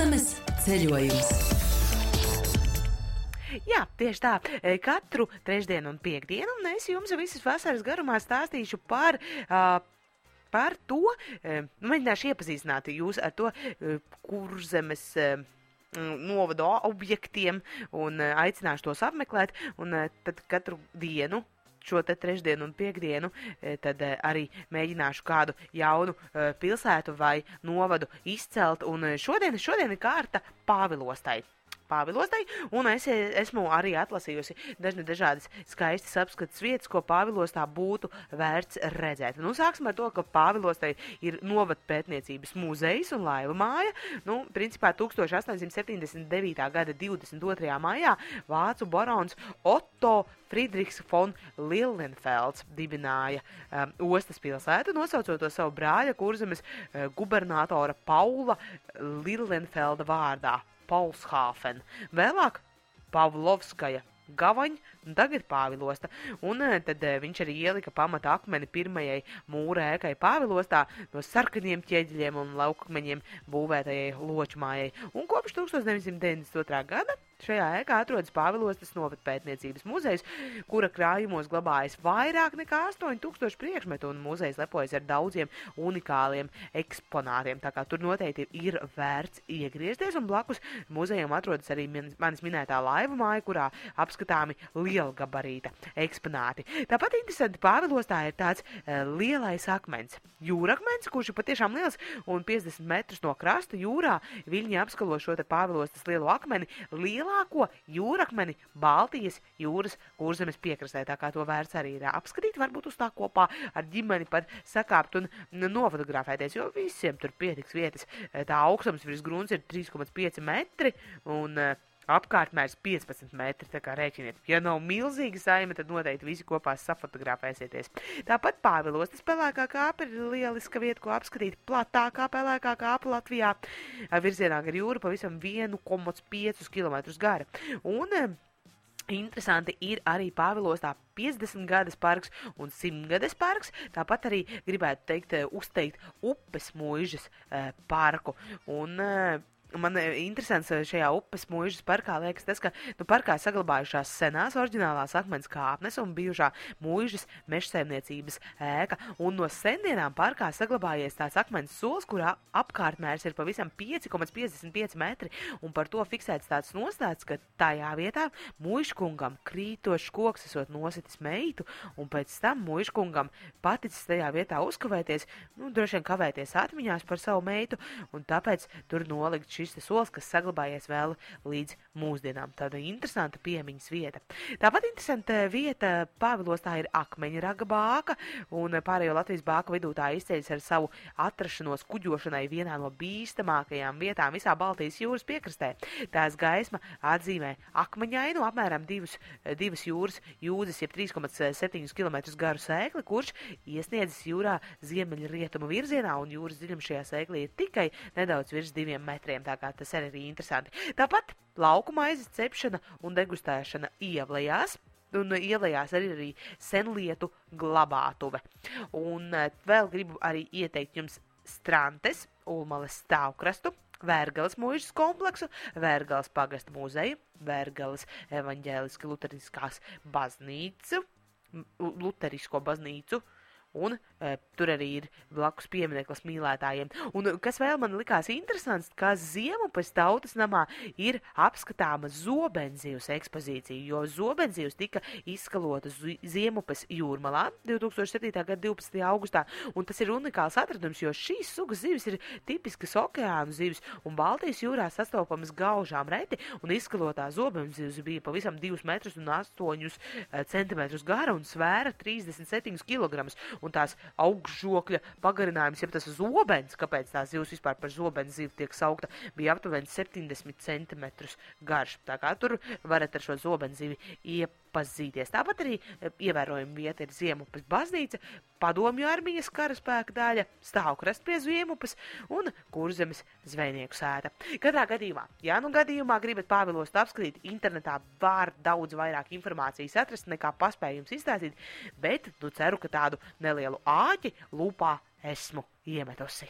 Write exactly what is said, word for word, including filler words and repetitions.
Kurzemes ceļojums. Jā, tieši tā. Katru trešdienu un piekdienu un es jums visas vasaras garumā stāstīšu par, uh, par to, uh, mēģināšu iepazīstināt jūs ar to uh, Kurzemes uh, novada objektiem un uh, aicināšu tos apmeklēt, un uh, tad katru dienu šo te trešdienu un piekdienu, tad arī mēģināšu kādu jaunu uh, pilsētu vai novadu izcelt, un šodien, šodien ir kārta Pāvilostai. Pāvilostai, un es esmu arī atlasījusi dažne dažādas skaistas apskates vietas, ko Pāvilostā būtu vērts redzēt. Nu, sāksim ar to, ka Pāvilostai ir novadpētniecības muzejs un laiva māja. Nu, principā tūkstoš astoņsimt septiņdesmit devītā gada divdesmit otrajā maijā vācu barons Otto Friedrichs von Lilienfelds dibināja um, ostas pilsētu, nosaucot to savu brāļa Kurzemes uh, gubernatora Paula Lilienfelda vārdā. Paulshafen. Vēlāk Pavlovskaja Gavaņa, un tagad Pāvilosta. Un tad viņš arī ielika pamata akmeni pirmajai mūra ēkai Pāvilostā no sarkaniem ķieģeļiem un laukakmeņiem būvētajai ločmājai. Un kopš tūkstoš deviņsimt deviņdesmit otrā gada šajā ēkā atrodas Pāvilostas novadpētniecības muzejs, kura krājumos glabājas vairāk nekā astoņi tūkstoši priekšmetu, un muzejs lepojas ar daudziem unikāliem eksponātiem. Tā kā tur noteikti ir vērts iegriezties, un blakus muzejam atrodas arī manis minētā laiva māja, kurā apskatāmi lielgabarīta eksponāti. Tāpat interesanti Pāvilostā ir tāds uh, lielais akmens. Jūrakmens, kurš ir patiešām liels, un piecdesmit metrus no krasta jūrā viļņi apskalo šo te Pāvilostas lielo akmeni, lielāko jūrakmeni Baltijas jūras Kurzemes piekrastē. Tā kā to vērts arī ir apskatīt, varbūt uz tā kopā ar ģimeni pat sakāpt un nofotografēties, jo visiem tur pietiks vietas. Tā augstums virs grunts ir trīs komats pieci metri un uh, apkārtmērs piecpadsmit metri, tā kā rēķiniet. Ja nav milzīga saime, tad noteikti visi kopā safotografēsieties. Tāpat Pāvilostas pelēkā kāpa ir lieliska vieta, ko apskatīt. Platākā pelēkā kāpa Latvijā, virzienā gar jūru pavisam viens komats pieci kilometrus gara. Un interesanti ir arī Pāvilostā piecdesmit gadas parks un simt gades parks. Tāpat arī gribētu teikt, uzteikt upes muižas parku. Un man interesants šajā upes muižas parkā liekas tas, ka nu, parkā saglabājušās senās oriģinālās akmens kāpnes un bijušā muižas mežsaimniecības ēka. Un no sendienām parkā saglabājies tāds akmens sols, kurā apkārtmērs ir pavisam pieci komats piecdesmit pieci metri. Un par to fiksēts tāds nostāds, ka tajā vietā muižkungam krītošs koks esot nositis meitu, un pēc tam muižkungam paticis tajā vietā uzkavēties, nu, droši vien kavēties atmiņās par savu meitu, un tāpēc tur nolikt šis sols, kas saglabājies vēl līdz mūsdienām. Tāda interesanta piemiņas vieta. Tāpat interesanta vieta Pāvilostā ir Akmeņraga bāka, un pārējo Latvijas bāku vidū tā izceļas ar savu atrašanos kuģošanai vienā no bīstamākajām vietām visā Baltijas jūras piekrastē. Tās gaisma atzīmē akmeņainu, apmēram divus, divas jūras jūdzes, jeb trīs komats septiņi kilometri garu sēkli, kurš iesniedzas jūrā ziemeļrietumu virzienā, un jūras dziļums šajā sēklī ir tikai nedaudz virs diviem metriem. Tā kā tas arī ir interesanti. Tāpat lauku maizes cepšana un degustēšana ievlējās, un ievlējās arī, arī senlietu glabātuve. Un vēl gribu arī ieteikt jums Strantes, Ulmales stāvkrastu, Vērgales muižas kompleksu, Vērgales pagasta muzeju, Vērgales evaņģēliski luteriskās baznīcu, luterisko baznīcu, un e, tur arī ir blakus piemineklis mīlētājiem. Un kas vēl man likās interesants, ka Ziemupes tautas namā ir apskatāma zobenzivs ekspozīcija, jo zobenzivs tika izskalota Ziemupes jūrmalā divtūkstoš septītā gada divpadsmitajā augustā, un tas ir unikāls atradums, jo šīs sugas zivis ir tipiskas okeānu zivis, un Baltijas jūrā sastopamas gaužām reti, un izskalotā zobenzivs bija pavisam divus metrus un astoņus centimetrus gara un svēra trīsdesmit septiņus kilogramus. Un tās augšžokļa pagarinājums, ja tas zobens, kāpēc tās zivs vispār par zobens zivu tiek saukta, bija aptuveni septiņdesmit centimetrus garš. Tā kā tur varat ar šo zobens zivi iepazīties. Tāpat arī ievērojama vieta ir Ziemupes baznīca, Padomju armijas karaspēka daļa, stāvkrasts pie Ziemupes un Kurzemes zvejnieku sēta. Katrā gadījumā, ja nu gadījumā gribat Pāvilostu apskatīt, internetā var daudz vairāk informācijas atrast, nekā paspēju jums izstāstīt, bet nu ceru, ka tādu nelielu āķi lūpā esmu iemetusi.